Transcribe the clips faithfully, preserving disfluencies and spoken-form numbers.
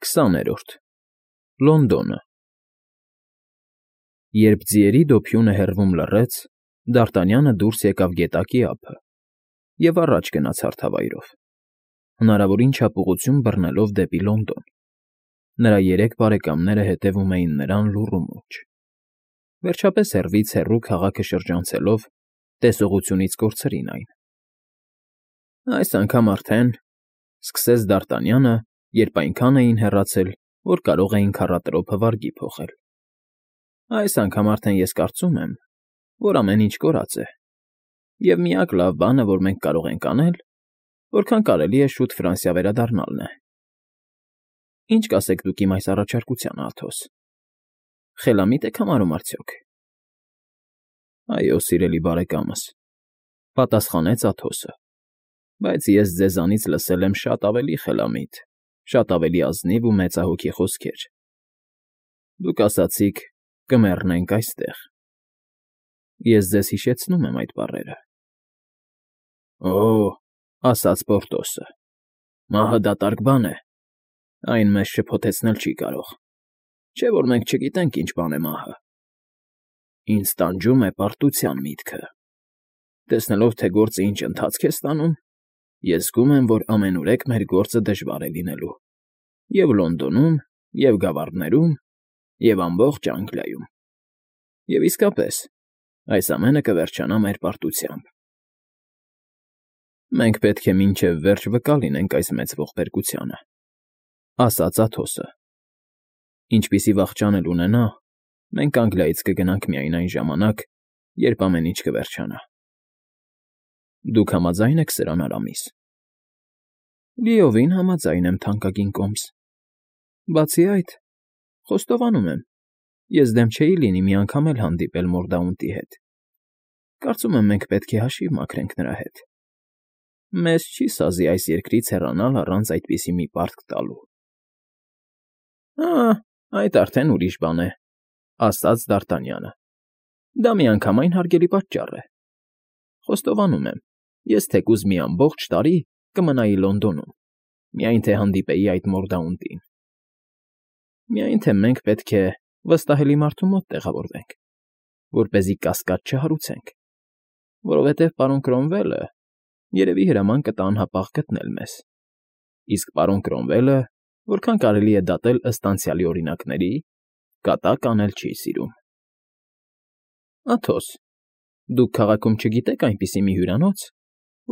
քսաներորդ Լոնդոնը Երբ ձիերի դոփյունը հեռվում լռեց, Դարտանյանը դուրս եկավ գետակի ափը և առաջ գնաց հարթավայրով, հնարավորին չափ ուղղություն բռնելով դեպի Լոնդոն. նրա երեք բարեկամները հետևում էին նրան լուռ ու մուրջ, վերջապես հեռվից հեռու քաղաքը շրջանցելով, տեսողությունից կորցրին այն։ Այս անգամ արդեն,֊ սկսեց Դարտանյանը, երբ այնքան էին հեռացել, որ կարող էին քառատրոփը վարգի փոխել,֊ այս անգամ արդեն ես կարծում եմ, որ ամեն ինչ կորած է, և միակ լավ բանը, որ մենք կարող ենք անել, որքան կարելի է շուտ Ֆրանսիա վերադառնալն է։ Ինչ կասեք դուք իմ այս առաջարկությանը, Աթոս, խելամիտ եք համարում արդյոք։ Այո, սիրելի բարեկամս,֊ պատասխանեց Աթոսը,֊ բայց ես ձեզանից լսել եմ շատ ավելի խելամիտ, շատ ավելի ազնիվ ու մեծահոգի խոսքեր։ Դուք ասացիք. «Կմեռնենք այստեղ»։ Ես ձեզ հիշեցնում եմ այդ բառերը։ Օ՜, ասաց Պորտոսը, մահը դատարկ բան է, այն մեզ շփոթեցնել չի կարող, չէ՞ որ մենք չգիտենք ինչ բան է մահը։ Ինձ տանջում է պարտության միտքը։ Տեսնելով, թե գործը ինչ ընթացք է ստանում, ես զգում եմ, որ ամենուրեք մեր գործը դժվար է լինելու և Լոնդոնում, և Գավառներում, և ամբողջ Անգլիայում։ Եվ իսկապես, այս ամենը կվերջանա մեր պարտությամբ։ Մենք պետք է մինչև վերջ վկա լինենք այս մեծ ողբերգությանը,֊ ասաց Աթոսը։ Ինչպիսի վախճան էլ ունենա, մենք Անգլիայից կգնանք միայն այն ժամանակ, երբ ամեն ինչ կվերջանա։ Դուք համաձա՞յն եք սրան, Արամիս։ Լիովին համաձայն եմ, թանկագին կոմս։ Բացի այդ, խոստովանում եմ, ես դեմ չէի լինի մի անգամ էլ հանդիպել Մորդաունտի հետ։ Կարծում եմ, մենք պետք է հաշիվ մաքրենք նրա հետ։ Մեզ չի սազի այս երկրից հեռանալ առանց այդպիսի մի պարտք տալու։ Ա՜, այդ արդեն ուրիշ բան է,֊ ասաց Դարտանյանը։ Դա միանգամայն հարգելի պատճառ է։ Խոստովանում եմ, ես թեկուզ մի ամբողջ տարի կմնայի Լոնդոնում, միայն թե հանդիպեի այդ Մորդաունտին։ Միայն թե մենք պետք է վստահելի մարդու մոտ տեղավորվենք, որպեսզի կասկած չհարուցենք, որովհետև պարոն Կրոմվելը երևի հրաման կտա անհապաղ գտնել մեզ, իսկ պարոն Կրոմվելը, որքան կարելի է դատել ըստ անցյալի օրինակների, կատակ անել չի սիրում։ Աթոս, դուք քաղաքում չգիտե՞ք այնպիսի մի հյուրանոց,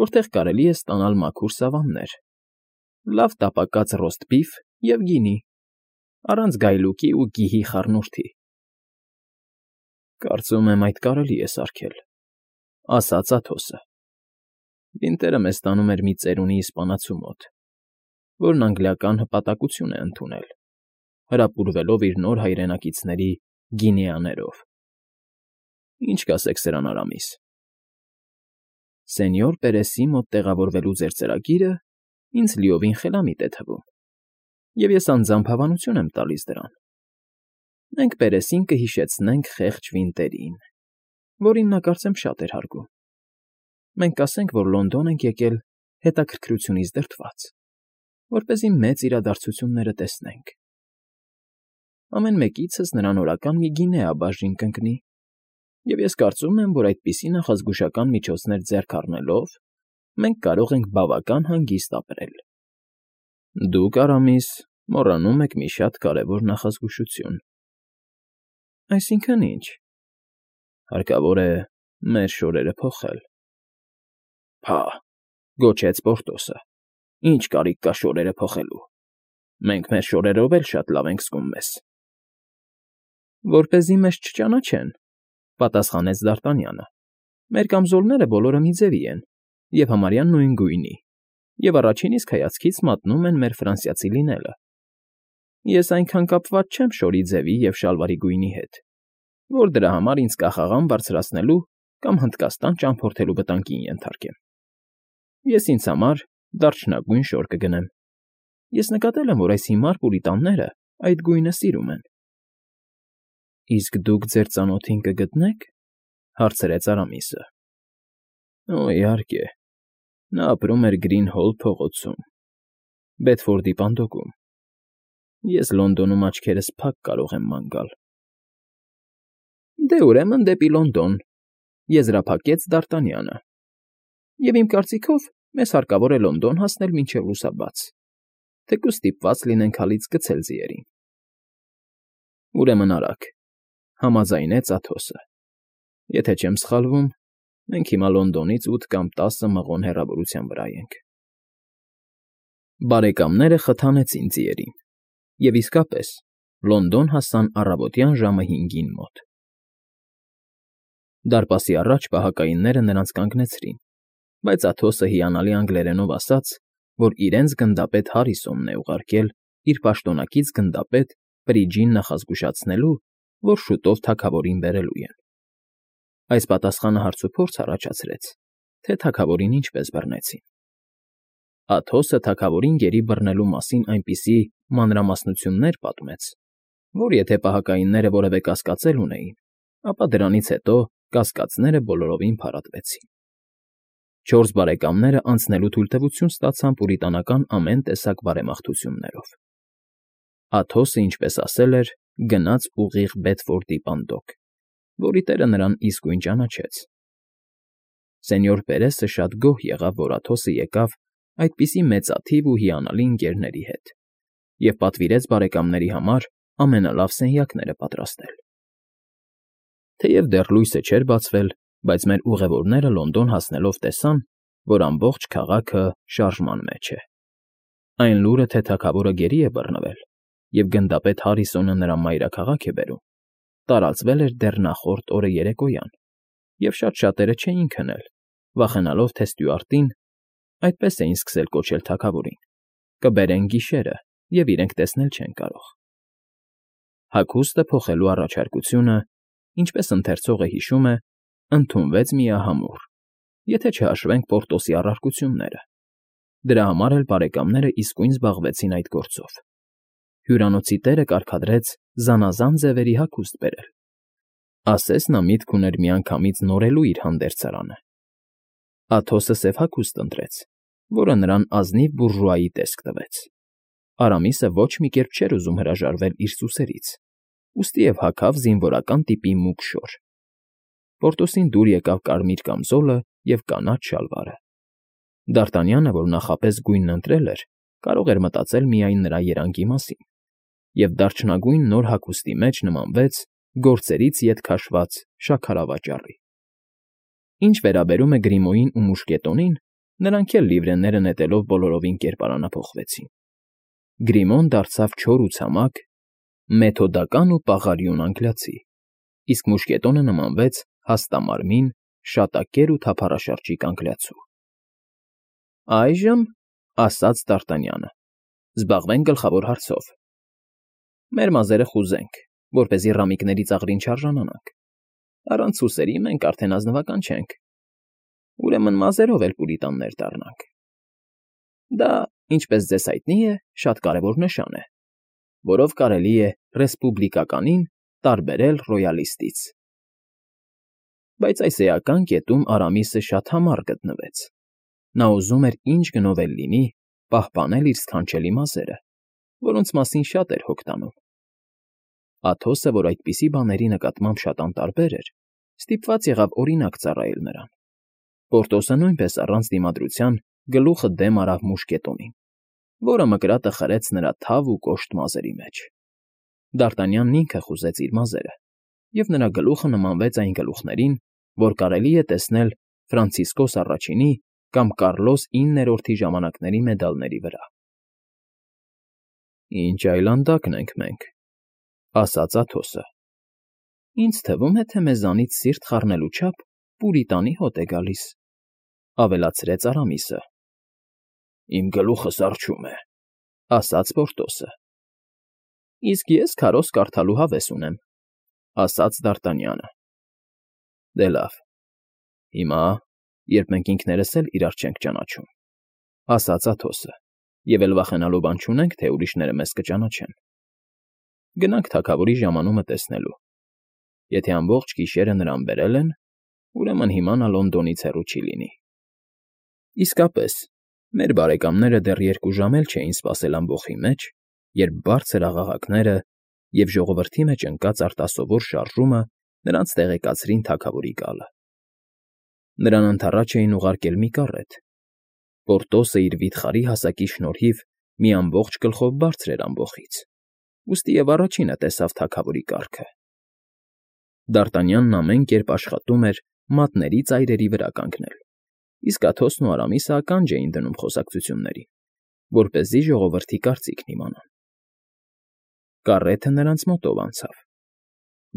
որտեղ կարելի է ստանալ մաքուր սավաններ, լավ տապակած ռոստբիֆ և գինի, առանց գայլուկի ու գիհի խառնուրդի։ Կարծում եմ, այդ կարելի է սարքել,֊ ասաց Աթոսը։ Վինտերը մեզ տանում էր մի ծերունի իսպանացու մոտ, որն անգլիական հպատակություն է ընդունել, հրապուրվելով իր նոր հայրենակիցների գինեաներով։ Ինչ կասեք սրան, Արամիս։ Սենյոր Պերեսի մոտ տեղավորվելու ձեր ծրագիրը ինձ լիովին խելամիտ է թվում, և ես անձամբ հավանություն եմ տալիս դրան։ Մենք Պերեսին կհիշեցնենք խեղճ Վինտերին, որին նա կարծեմ շատ էր հարգում։ Մենք կասենք, որ Լոնդոն ենք եկել հետաքրքրությունից դրդված, որպեսզի մեծ իրադարձությունները տեսնենք։ Ամեն մեկիցս նրան օրական մի գինեա բաժին կընկնի, և ես կարծում եմ, որ այդպիսի նախազգուշական միջոցներ ձեռք առնելով մենք կարող ենք բավական հանգիստ ապրել։ Դուք, Արամիս, մոռանում եք մի շատ կարևոր նախազգուշություն։ Այսինքն ի՞նչ։ Հարկավոր է մեր շորերը փոխել։ Փա՜, գոչեց Պորտոսը, ի՞նչ կարիք կա շորերը փոխելու։ Մենք մեր շորերով էլ շատ լավ ենք զգում մեզ։ Որպեսզի մեզ չճանաչեն, պատասխանեց Դարտանյանը, մեր կամզոլները բոլորը մի ձևի են և համարյա նույն գույնի, և առաջին իսկ հայացքից մատնում են մեր ֆրանսիացի լինելը։ Ես այնքան կապված չեմ շորի ձևի և շալվարի գույնի հետ, որ դրա համար ինձ կախաղան բարձրացնելու կամ Հնդկաստան ճամփորդելու վտանգին ենթարկեմ։ Ես ինձ համար դարչնագույն շոր կգնեմ։ Ես նկատել եմ, որ այս հիմար պուրիտանները այդ գույնը սիրում են։ Իսկ դուք ձեր ծանոթին կգտնե՞ք,֊ հարցրեց Արամիսը։ Օ, իհարկե, նա ապրում էր Գրինհոլ փողոցում, Բեդֆորդի պատնոկում։ Ես Լոնդոնում աչքերս փակ կարող եմ ման գալ։ ֊ Դե, ուրեմն դեպի Լոնդոն,֊ եզրափակեց Դ'Արտանյանը,֊ և իմ կարծիքով մեզ հարկավոր է Լոնդոն հասնել մինչև լուսաբաց, թեկուզ ստիպված լինենք հալից գցել ձիերին։ ֊ Ուրեմն արագ,֊ համաձայնեց Աթոսը,֊ եթե չեմ սխալվում, մենք հիմա Լոնդոնից ութ կամ տասը մղոն հեռավորության վրա ենք։ Բարեկամները խթանեցին ձիերին, և իսկապես Լոնդոն հասան առավոտյան ժամը հինգին մոտ։ Դարպասի առաջ պահակայինները նրանց կանգնեցրին, բայց Աթոսը հիանալի անգլերենով ասաց, որ իրենց գնդապետ Հարիսոնն է ուղարկել իր պաշտոնակից գնդապետ Պրիջին նախազգուշացնելու, որ շուտով թագավորին բերելու են։ Այս պատասխանը հարցուփորձ առաջացրեց, թե թագավորին ինչպես բռնեցին։ Աթոսը թագավորին գերի բռնելու մասին այնպիսի մանրամասնություններ պատմեց, որ եթե պահակայինները որևէ կասկածել ունեին, ապա դրանից հետո կասկածները բոլորովին փարատվեցին։ Չորս բարեկամները անցնելու թույլտվություն ստացան պուրիտանական ամեն տեսակ բարեմաղթություններով։ Աթոսը, ինչպես ասել էր, գնաց ուղիղ Բեդֆորդի պանդոկ, որի տերը նրան իսկույն ճանաչեց։ Սենյոր Պերեսը շատ գոհ եղավ, որ Աթոսը եկավ այդպիսի մեծաթիվ ու հիանալի ընկերների հետ և պատվիրեց բարեկամների համար ամենալավ սենյակները պատրաստել։ Թեև դեռ լույսը չէր բացվել, բայց մեր ուղևորները Լոնդոն հասնելով տեսան, որ ամբողջ քաղաքը շարժման մեջ է։ Այն լուրը, թե թագավորը գերի է բռնվել, և գնդապետ Հարիսոնը նրա մայրաքաղաք է բերում, տարածվել էր դեռ նախորդ օրը երեկոյան, և շատ շատերը չէին քնել, վախենալով, թե Ստյուարտին (այդպես էին սկսել կոչել թագավորին) կբերեն գիշերը, և իրենք տեսնել չեն կարող։ Հագուստը փոխելու առաջարկությունը, ինչպես ընթերցողը հիշում է, ընդունվեց միահամուռ, եթե չհաշվենք Պորտոսի առարկությունները։ Դրա համար էլ բարեկամները իսկույն զբաղվեցին այդ գործով։ Հյուրանոցի տերը կարգադրեց զանազան ձևերի հագուստ բերել։ Ասես նա միտք ուներ միանգամից նորելու իր հանդերձարանը։ Աթոսը սև հագուստ ընտրեց, որը նրան ազնիվ բուրժուայի տեսք տվեց։ Արամիսը ոչ մի կերպ չէր ուզում հրաժարվել իր սուսերից, ուստիև հագավ զինվորական տիպի մուգ շոր։ Պորտոսին դուր եկավ կարմիր կամզոլը և կանաչ շալվարը։ Դ'Արտանյանը, որ նախապես գույնն ընտրել էր, կարող էր մտածել միայն նրա երանգի մասին, և դարչնագույն նոր հագուստի մեջ նմանվեց գործերից ետ քաշված շաքարավաճառի։ Ինչ վերաբերում է Գրիմոյին ու Մուշկետոնին, նրանք էլ լիվրեները նետելով բոլորովին կերպարանափոխվեցին։ Գրիմոն դարձավ չոր ու ցամաք, մեթոդական ու պաղարիուն անգլիացի, իսկ Մուշկետոնը նմանվեց հաստամարմին, շատակեր ու թափառաշրջիկ անգլիացու։ ֊ Այժմ,֊ ասաց Դ'Արտանյանը,֊ զբաղվենք գլխավոր հարցով։ Մեր մազերը խուզենք, որպեսզի ռամիկների ծաղրին չարժանանանք։ Առանց սուսերի մենք արդեն ազնվական չենք։ Ուրեմն մազերով էլ պուրիտաններ դառնանք։ Դա, ինչպես ձեզ հայտնի է, շատ կարևոր նշան է, որով կարելի է ռեսպուբլիկականին տարբերել ռոյալիստից։ Բայց այս էական կետում Արամիսը շատ համառ գտնվեց։ Նա ուզում էր ինչ գնով էլ լինի պահպանել իր սքանչելի մազերը, որոնց մասին շատ էր հոգ տանում։ Աթոսը, որ այդպիսի բաների նկատմամբ շատ անտարբեր էր, ստիպված եղավ օրինակ ծառայել նրան։ Պորտոսը նույնպես առանց դիմադրության գլուխը դեմ արավ Մուշկետոնին, որը մկրատը խրեց նրա թավ ու կոշտ մազերի մեջ։ Դ'Արտանյանն ինքը խուզեց իր մազերը, և նրա գլուխը նմանվեց այն գլուխներին, որ կարելի է տեսնել Ֆրանցիսկոս առաջինի կամ Կառլոս իններորդի ժամանակների մեդալների վրա։ ֊ Ինչ այլանդակն ենք մենք,֊ ասաց Աթոսը։ Ինձ թվում է, թե մեզանից սիրտ խառնելու չափ պուրիտանի հոտ է գալիս,֊ ավելացրեց Արամիսը։ ֊ Իմ գլուխս առջում է,֊ ասաց Պորտոսը։ ֊ Իսկ ես քարոզ կարդալու հավես ունեմ,֊ ասաց Դ'Արտանյանը։ ֊ Դե լավ, հիմա, երբ մենք ինքներս էլ իրար չենք ճանաչում,֊ ասաց Աթոսը, և էլ վախենալու բան չունենք, թե ուրիշները մեզ կճանաչեն, գնանք թագավորի ժամանումը տեսնելու։ Եթե ամբողջ գիշերը նրան բերել են, ուրեմն հիմա նա Լոնդոնից հեռու չի լինի։ Իսկապես, մեր բարեկամները դեռ երկու ժամ էլ չէին սպասել ամբոխի մեջ, երբ բարձր աղաղակները և ժողովրդի մեջ ընկած արտասովոր շարժումը նրանց տեղեկացրին թագավորի գալը։ Նրան ընդառաջ էին ուղարկել մի կառետ։ Պորտոսը իր վիթխարի հասակի շնորհիվ մի ամբողջ գլխով բարձր էր ամբոխից, ուստի և առաջինը տեսավ թագավորի կառքը։ Դարտանյանն ամեն կերպ աշխատում էր մատների ծայրերի վրա կանգնել, իսկ Աթոսն ու Արամիսը ականջ էին դնում խոսակցություններին, որպեսզի ժողովրդի կարծիքն իմանան։ Կառեթը նրանց մոտով անցավ։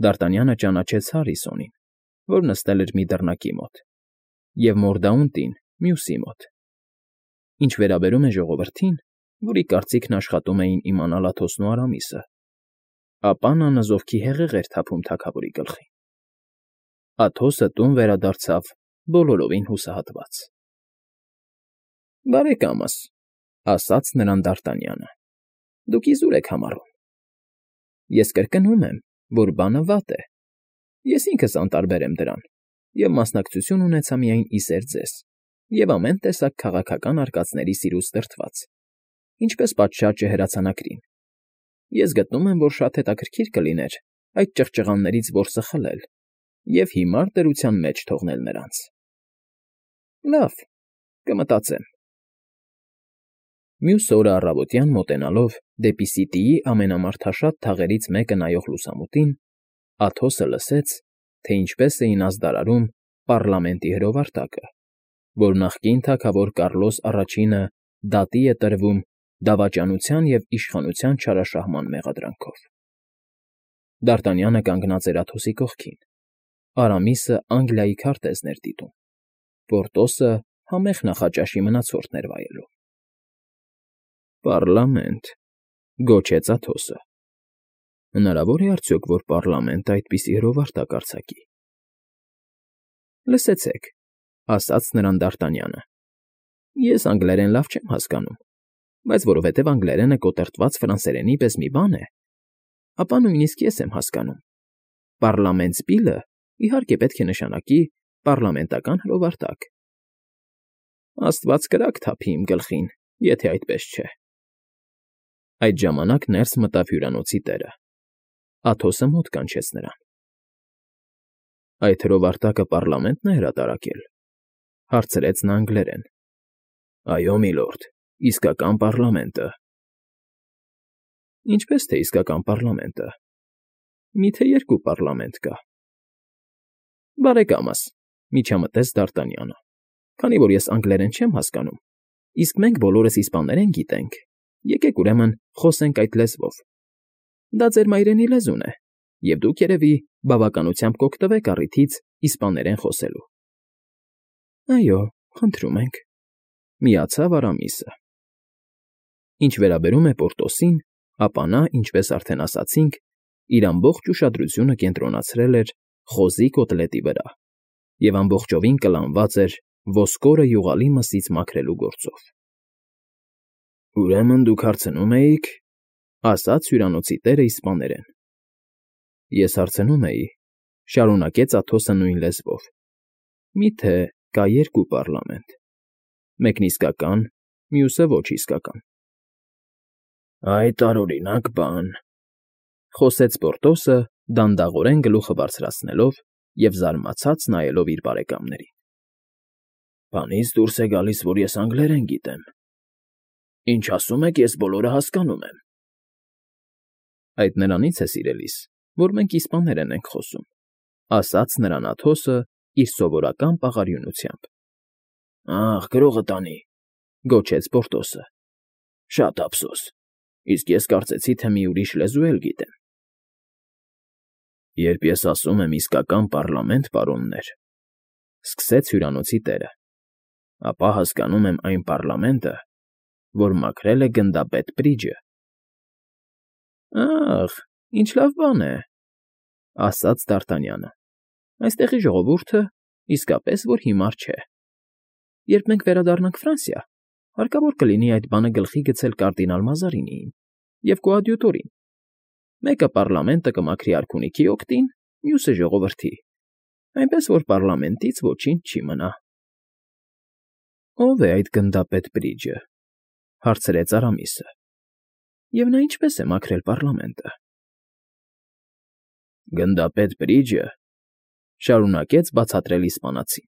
Դարտանյանը ճանաչեց Հարիսոնին, որ նստել էր մի դռնակի մոտ, և Մորդաունտին մյուսի մոտ։ Ինչ վերաբերում է ժողովրդին, որի կարծիքն աշխատում էին իմանալ Աթոսն ու Արամիսը, ապա նա նզովքի հեղեղ էր թափում թագավորի գլխին։ Աթոսը տուն վերադարձավ բոլորովին հուսահատված։ ֊ Բարեկամս,֊ ասաց նրան Դարտանյանը,֊ դուք իզուր եք համառում։ Ես կրկնում եմ, որ բանը վատ է։ Ես ինքս անտարբեր եմ դրան և մասնակցություն ունեցա միայն ի սեր ձեզ և ամեն տեսակ քաղաքական արկածների սիրուց դրդված, ինչպես պատշաճը հրացանակրին։ Ես գտնում եմ, որ շատ հետաքրքիր կլիներ այդ ճղճղաններից որսը խլել և հիմար դրության մեջ թողնել նրանց։ Լավ, կմտածեմ։ Մյուս օրը առավոտյան մոտենալով դեպի Սիտիի ամենամարդաշատ թաղերից մեկը նայող լուսամուտին, Աթոսը լսեց, թե ինչպես էին ազդարարում պառլամենտի հրովարտակը, որ նախկին թագավոր Կառլոս առաջինը դատի է տրվում դավաճանության և իշխանության չարաշահման մեղադրանքով։ Դարտանյանը կանգնած էր Աթոսի կողքին, Արամիսը Անգլիայի քարտեզն էր դիտում, Պորտոսը համեղ նախաճաշի մնացորդն էր վայելում։ Պառլամենտ,֊ գոչեց Աթոսը։ Հնարավոր է արդյոք, որ պառլամենտը այդպիսի հրովարտակ արձակի։ Լսեցեք,֊ ասաց նրան Դարտանյանը,֊ ես անգլերեն լավ չեմ հասկանում, բայց որովհետև անգլերենը կոտրտված ֆրանսերենի պես մի բան է, ապա նույնիսկ ես եմ հասկանում. Պառլամենտ սպիլը, իհարկե, պետք է նշանակի պառլամենտական հրովարտակ։ Աստված կրակ թափի իմ գլխին, եթե այդպես չէ։ Այդ ժամանակ ներս մտավ հյուրանոցի տերը։ Աթոսը մոտ կանչեց նրան։ Այդ հրովարտակը պառլամենտն է հրատարակել,֊ հարցրեց նա անգլերեն։ Այո, միլորդ, իսկական պառլամենտը։ Ինչպես թե իսկական պառլամենտը։ Մի՞թե երկու պառլամենտ կա։ Բարեկամս,֊ միջամտեց Դարտանյանը,֊ քանի որ ես անգլերեն չեմ հասկանում, իսկ մենք բոլորս իսպաներեն գիտենք, եկեք, ուրեմն, խոսենք այդ լեզվով։ Դա ձեր մայրենի լեզուն է, և դուք, երևի, բավականությամբ կօգտվեք առիթից իսպաներեն խոսելու։ Այո, խնդրում ենք,֊ միացավ Արամիսը։ Ինչ վերաբերում է Պորտոսին, ապա նա, ինչպես արդեն ասացինք, իր ամբողջ ուշադրությունը կենտրոնացրել էր խոզի կոտլետի վրա և ամբողջովին կլանված էր ոսկորը յուղալի մսից մաքրելու գործով։ Ուրեմն դուք հարցնում էիք,֊ ասաց հյուրանոցի տերը իսպաներեն։ Ես հարցնում էի,֊ շարունակեց Աթոսը նույն լեզվով,֊ մի՞թե կա երկու պառլամենտ, մեկն իսկական, մյուսը ոչ իսկական։ Այդ տարօրինակ բան,֊ խոսեց Պորտոսը, դանդաղորեն գլուխը բարձրացնելով և զարմացած նայելով իր բարեկամներին։ Բանից դուրս է գալիս, որ ես անգլերեն գիտեմ։ Ինչ ասում եք, ես բոլորը հասկանում եմ։ Այդ նրանից է, սիրելիս, որ մենք իսպաներեն ենք խոսում,֊ ասաց նրան Աթոսը իր սովորական պաղարյունությամբ։ Ախ, գրողը տանի,֊ գոչեց Պորտոսը։ Շատ ափսոս, իսկ ես կարծեցի, թե մի ուրիշ լեզու էլ գիտեմ։ Երբ ես ասում եմ իսկական պառլամենտ, պարոններ,֊ սկսեց հյուրանոցի տերը,֊ ապա հասկանում եմ այն պառլամենտը, որ մաքրել է գնդապետ Պրիջը։ Ախ, ինչ լավ բան է,֊ ասաց Դարտանյանը։ Այստեղի ժողովուրդը իսկապես որ հիմար չէ։ Երբ մենք վերադառնանք Ֆրանսիա, հարկավոր կլինի այդ բանը գլխի գցել կարդինալ Մազարինիին և կոադյուտորին։ Մեկը պառլամենտը կմաքրի արքունիքի օգտին, մյուսը ժողովրդի, այնպես որ պառլամենտից ոչինչ չի մնա։ Ո՞վ է այդ գնդապետ Պրիջը,֊ հարցրեց Արամիսը։ Եվ նա ինչպես է մաքրել պառլամենտը։ Գնդապետ Բրիջը, շարունակեց բացատրել իսպանացին,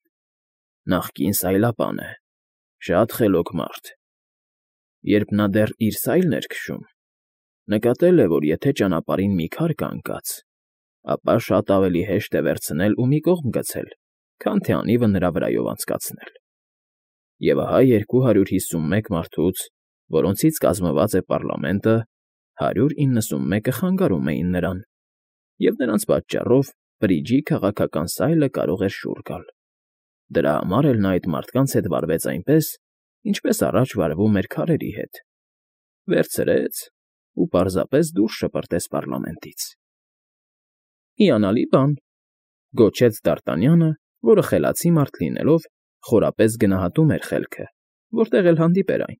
նախկին սայլապան է, շատ խելոք մարդ։ Երբ նա դեռ իր սայլն էր քշում, նկատել է, որ եթե ճանապարհին մի քար կա ընկած, ապա շատ ավելի հեշտ է վերցնել ու մի կողմ գցել, քան թե անիվը նրա վրայով անցկացնել։ Եվ ահա երկու հարյուր հիսունմեկ մարդուց, որոնցից կազմված է պառլամենտը, հարյուր իննսունմեկը խանգարում էին նրան, և նրանց պատճառով Բրիջի քաղաքական սայլը կարող էր շուռ գալ։ Դրա համար էլ նա այդ մարդկանց հետ վարվեց այնպես, ինչպես առաջ վարվում էր քարերի հետ, վերցրեց ու պարզապես դուրս շպրտեց պառլամենտից։ Հիանալի բան, գոչեց Դ'Արտանյանը, որը խելացի մարդ լինելով, խորապես գնահատում էր խելքը, որտեղ էլ հանդիպեր այն։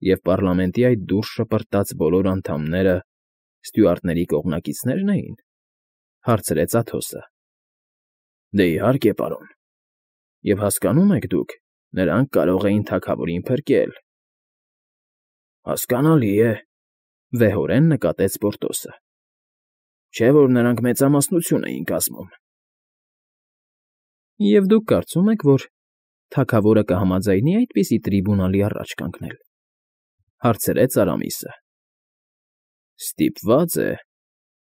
Եվ պառլամենտի այդ դուրս շպրտած բոլոր անդամները ստյուարտների կողմնակիցնե՞րն էին, հարցրեց Աթոսը։ Դե իհարկե, պարոն։ Եվ հասկանո՞ւմ եք դուք, նրանք կարող էին թագավորին փրկել։ Հասկանալի է, վեհորեն նկատեց Պորտոսը։ Չէ՞ որ նրանք մեծամասնություն էին կազմում։ Եվ դուք կարծում եք, որ թագավորը կհամաձայնի այդպիսի տրիբունալի առաջ կանգնել, հարցրեց Արամիսը։ Ստիպված է,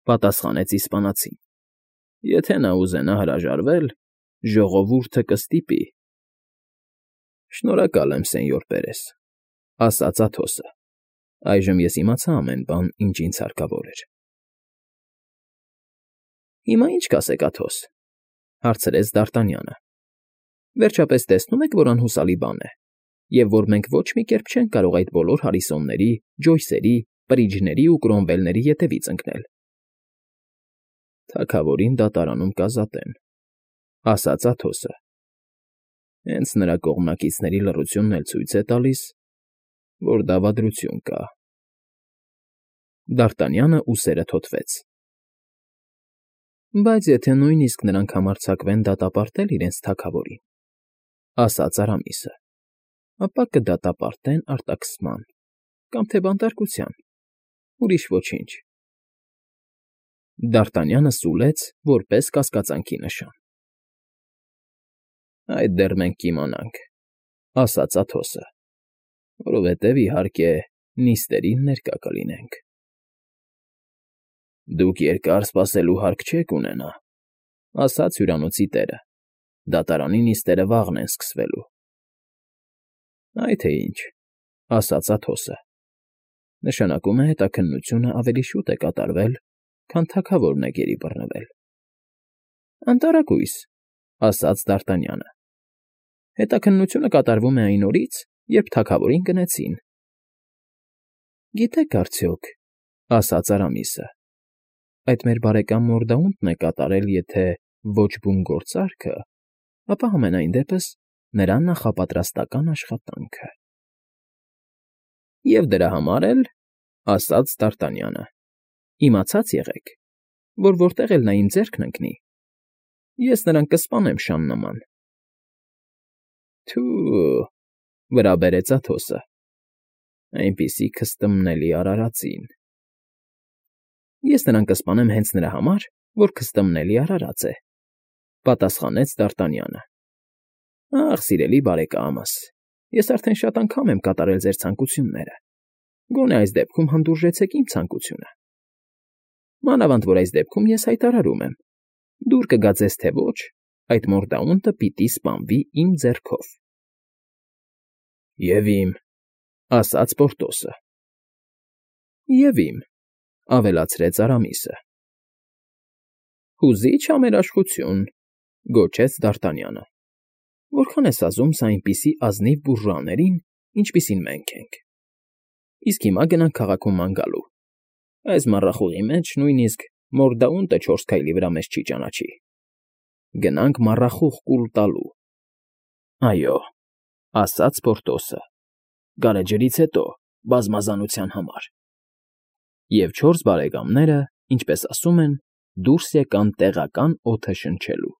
պատասխանեց իսպանացին։ Եթե նա ուզենա հրաժարվել, ժողովուրդը կստիպի։ Շնորհակալ եմ, սենյոր Պերես, ասաց Աթոսը։ Այժմ ես իմացա ամեն բան, ինչ ինձ հարկավոր էր։ Հիմա ի՞նչ կասեք, Աթոս, հարցրեց Դ'Արտանյանը։ Վերջապես տեսնում եք, որ անհուսալի բան է, և որ մենք ոչ մի կերպ չենք կարող այդ բոլոր Հարիսոնների, Ջոյսերի, Բրիջների ու Կրոմվելների ետևից ընկնել։ Թագավորին դատարանում կազատեն, ասաց Աթոսը։ Հենց նրա կողմնակիցների լռությունն էլ ցույց է տալիս, որ դավադրություն կա։ Դ'Արտանյանը ուսերը թոթվեց։ Բայց եթե նույնիսկ նրանք համարձակվեն դատապարտել իրենց թագավորին, ասաց Արամիսը, ապա կդատապարտեն արտաքսման կամ թե բանտարկության, ուրիշ ոչինչ։ Դ'Արտանյանը սուլեց որպես կասկածանքի նշան։ Այդ դեռ մենք կիմանանք, ասաց Աթոսը, որովհետև, իհարկե, նիստերին ներկա կլինենք։ Դուք երկար սպասելու հարկ չեք ունենա, ասաց հյուրանոցի տերը։ Դատարանի նիստերը վաղն են սկսվելու։ Այ թե ինչ, ասաց Աթոսը։ Նշանակում է հետաքննությունը ավելի շուտ է կատարվել, քան թագավորն է գերի բռնվել։ Անտարակույս, ասաց Դ'Արտանյանը։ Հետաքննությունը կատարվում է այն օրից, երբ թագավորին գնեցին։ Գիտեք արդյոք, ասաց Արամիսը, այդ մեր բարեկամ Մորդաունտն է կատարել, եթե ոչ բուն գործարքը, ապա համենայն դեպս նրա նախապատրաստական աշխատանքը։ Եվ դրա համար էլ, ասաց Դ'Արտանյանը, իմացած եղեք, որ որտեղ էլ նա իմ ձեռքն ընկնի, ես նրան կսպանեմ շան նման։ Թո՛ւ, վրա բերեց Աթոսը, այնպիսի քստմնելի արարածին։ Ես նրան կսպանեմ հենց նրա համար, որ քստմնելի արարած է, պատասխանեց Դ'Արտանյանը։ Ախ, սիրելի բարեկամս, ես արդեն շատ անգամ եմ կատարել ձեր ցանկությունները, գոնե այս դեպքում հանդուրժեցեք իմ ցանկությունը։ Մանավանդ որ այս դեպքում ես հայտարարում եմ, դուր կգա ձեզ թե ոչ, այդ Մորդաունտը պիտի սպանվի իմ ձեռքով։ Եվ իմ, ասաց Պորտոսը։ Եվ իմ, ավելացրեց Արամիսը։ Հուզիչ համերաշխություն, գոչեց Դ'Արտանյանը։ Որքան ես ազում սա այնպիսի ազնիվ բուրժուաներին, ինչպիսին մենք ենք։ Իսկ հիմա գնանք քաղաքում ման գալու։ Այս մառախուղի մեջ նույնիսկ Մորդաունտը չորս քայլի վրա մեզ չի ճանաչի։ Գնանք մառախուղ կուլ տալու։ Այո, ասաց Պորտոսը, գարեջրից հետո, բազմազանության համար։ Եվ չորս բարեկամները, ինչպես ասում են, դուրս եկան տեղական օդը շնչելու։